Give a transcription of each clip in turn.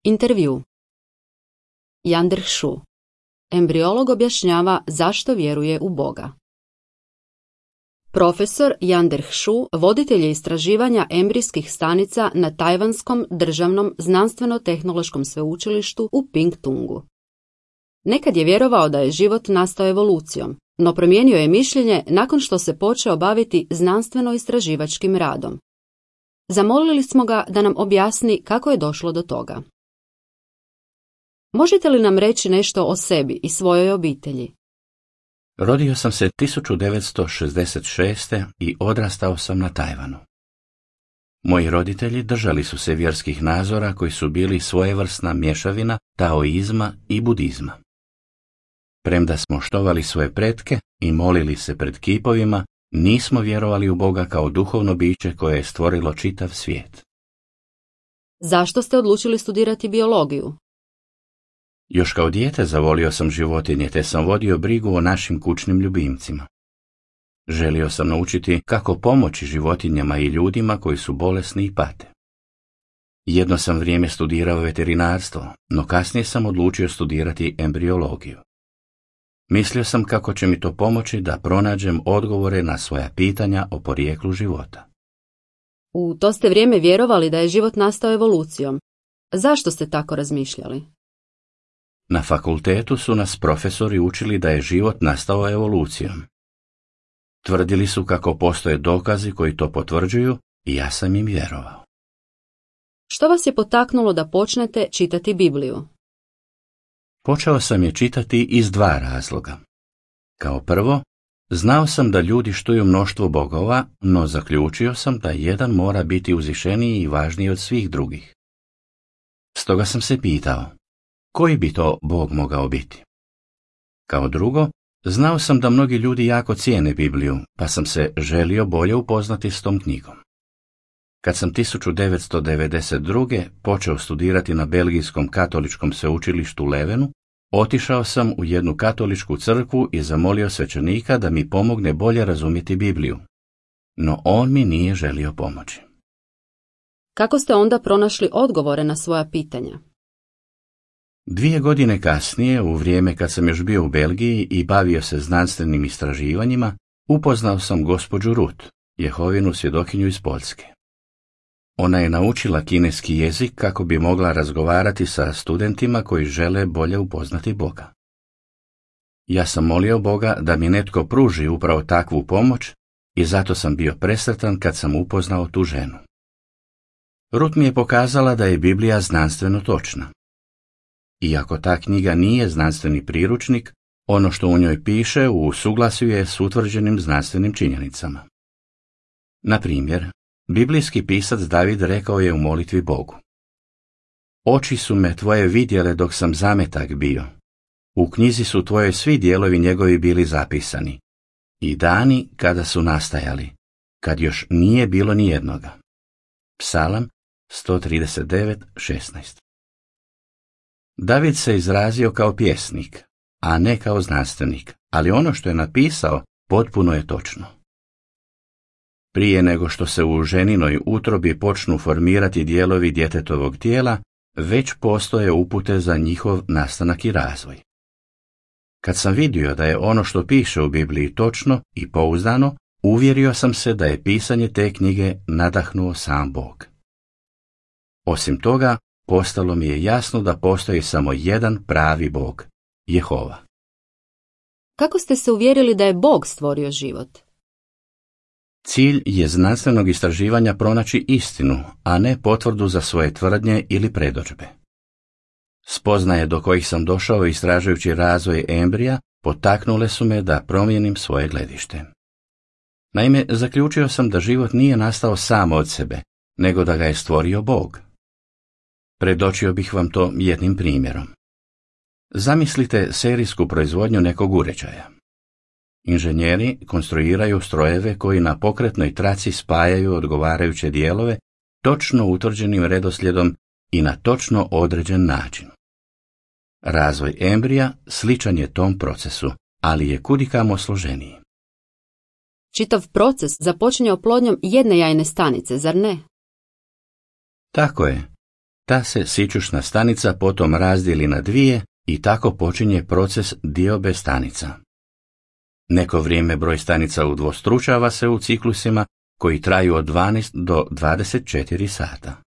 Intervju. Yandrh Shu. Embriolog objašnjava zašto vjeruje u Boga. Profesor Yandrh Shu voditelj je istraživanja embrijskih stanica na Tajvanskom državnom znanstveno-tehnološkom sveučilištu u Pingtungu. Nekad je vjerovao da je život nastao evolucijom, no promijenio je mišljenje nakon što se počeo baviti znanstveno-istraživačkim radom. Zamolili smo ga da nam objasni kako je došlo do toga. Možete li nam reći nešto o sebi i svojoj obitelji? Rodio sam se 1966. i odrastao sam na Tajvanu. Moji roditelji držali su se vjerskih nazora koji su bili svojevrsna mješavina taoizma i budizma. Premda smo štovali svoje pretke i molili se pred kipovima, nismo vjerovali u Boga kao duhovno biće koje je stvorilo čitav svijet. Zašto ste odlučili studirati biologiju? Još kao dijete zavolio sam životinje te sam vodio brigu o našim kućnim ljubimcima. Želio sam naučiti kako pomoći životinjama i ljudima koji su bolesni i pate. Jedno sam vrijeme studirao veterinarstvo, no kasnije sam odlučio studirati embriologiju. Mislio sam kako će mi to pomoći da pronađem odgovore na svoja pitanja o porijeklu života. U to ste vrijeme vjerovali da je život nastao evolucijom. Zašto ste tako razmišljali? Na fakultetu su nas profesori učili da je život nastao evolucijom. Tvrdili su kako postoje dokazi koji to potvrđuju i ja sam im vjerovao. Što vas je potaknulo da počnete čitati Bibliju? Počeo sam je čitati iz dva razloga. Kao prvo, znao sam da ljudi štuju mnoštvo bogova, no zaključio sam da jedan mora biti uzvišeniji i važniji od svih drugih. Stoga sam se pitao, koji bi to Bog mogao biti? Kao drugo, znao sam da mnogi ljudi jako cijene Bibliju, pa sam se želio bolje upoznati s tom knjigom. Kad sam 1992. počeo studirati na belgijskom katoličkom sveučilištu Levenu, otišao sam u jednu katoličku crkvu i zamolio svećenika da mi pomogne bolje razumjeti Bibliju. No on mi nije želio pomoći. Kako ste onda pronašli odgovore na svoja pitanja? 2 godine kasnije, u vrijeme kad sam još bio u Belgiji i bavio se znanstvenim istraživanjima, upoznao sam gospođu Ruth, Jehovinu svjedokinju iz Poljske. Ona je naučila kineski jezik kako bi mogla razgovarati sa studentima koji žele bolje upoznati Boga. Ja sam molio Boga da mi netko pruži upravo takvu pomoć i zato sam bio presretan kad sam upoznao tu ženu. Ruth mi je pokazala da je Biblija znanstveno točna. Iako ta knjiga nije znanstveni priručnik, ono što u njoj piše u suglasju je s utvrđenim znanstvenim činjenicama. Na primjer, biblijski pisac David rekao je u molitvi Bogu: Oči su me tvoje vidjele dok sam zametak bio. U knjizi su tvoje svi dijelovi njegovi bili zapisani. I dani kada su nastajali, kad još nije bilo ni jednoga. Psalam 139:16. David se izrazio kao pjesnik, a ne kao znanstvenik, ali ono što je napisao potpuno je točno. Prije nego što se u ženinoj utrobi počnu formirati dijelovi djetetovog tijela, već postoje upute za njihov nastanak i razvoj. Kad sam vidio da je ono što piše u Bibliji točno i pouzdano, uvjerio sam se da je pisanje te knjige nadahnuo sam Bog. Osim toga, postalo mi je jasno da postoji samo jedan pravi Bog, Jehova. Kako ste se uvjerili da je Bog stvorio život? Cilj je znanstvenog istraživanja pronaći istinu, a ne potvrdu za svoje tvrdnje ili predodžbe. Spoznaje do kojih sam došao istražujući razvoj embrija potaknule su me da promijenim svoje gledište. Naime, zaključio sam da život nije nastao sam od sebe, nego da ga je stvorio Bog. Predočio bih vam to jednim primjerom. Zamislite serijsku proizvodnju nekog uređaja. Inženjeri konstruiraju strojeve koji na pokretnoj traci spajaju odgovarajuće dijelove točno utvrđenim redoslijedom i na točno određen način. Razvoj embrija sličan je tom procesu, ali je kudikamo složeniji. Čitav proces započinje oplodnjom jedne jajne stanice, zar ne? Tako je. Ta se sićušna stanica potom razdijeli na dvije i tako počinje proces diobe stanica. Neko vrijeme broj stanica udvostručava se u ciklusima koji traju od 12 do 24 sata.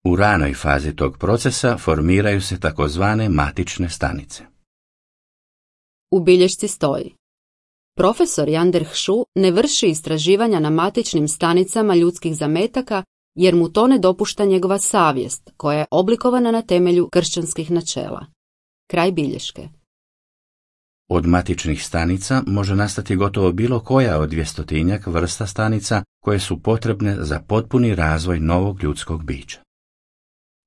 U ranoj fazi tog procesa formiraju se takozvane matične stanice. U bilješci stoji: profesor Yander Hu ne vrši istraživanja na matičnim stanicama ljudskih zametaka jer mu to ne dopušta njegova savjest, koja je oblikovana na temelju kršćanskih načela. Kraj bilješke. Od matičnih stanica može nastati gotovo bilo koja od 200-tinjak vrsta stanica koje su potrebne za potpuni razvoj novog ljudskog bića.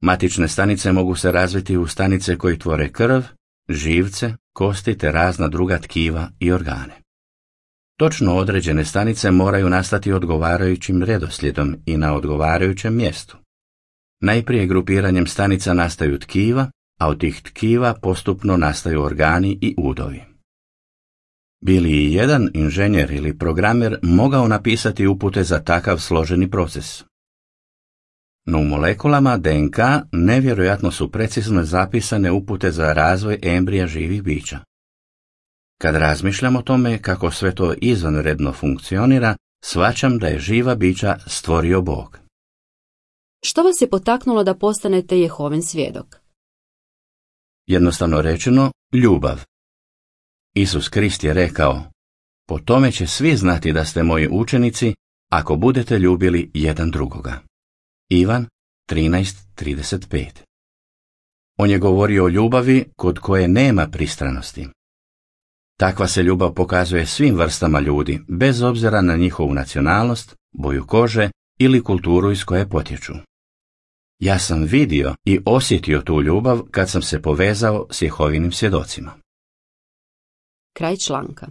Matične stanice mogu se razviti u stanice koji tvore krv, živce, kosti te razna druga tkiva i organe. Točno određene stanice moraju nastati odgovarajućim redoslijedom i na odgovarajućem mjestu. Najprije grupiranjem stanica nastaju tkiva, a od tih tkiva postupno nastaju organi i udovi. Bi li i jedan inženjer ili programer mogao napisati upute za takav složeni proces? No u molekulama DNK nevjerojatno su precizno zapisane upute za razvoj embrija živih bića. Kad razmišljam o tome kako sve to izvanredno funkcionira, shvaćam da je živa bića stvorio Bog. Što vas je potaknulo da postanete Jehovin svjedok? Jednostavno rečeno, ljubav. Isus Krist je rekao: po tome će svi znati da ste moji učenici ako budete ljubili jedan drugoga. Ivan 13:35. On je govorio o ljubavi kod koje nema pristranosti. Takva se ljubav pokazuje svim vrstama ljudi, bez obzira na njihovu nacionalnost, boju kože ili kulturu iz koje potječu. Ja sam vidio i osjetio tu ljubav kad sam se povezao s Jehovinim svjedocima. Kraj članka.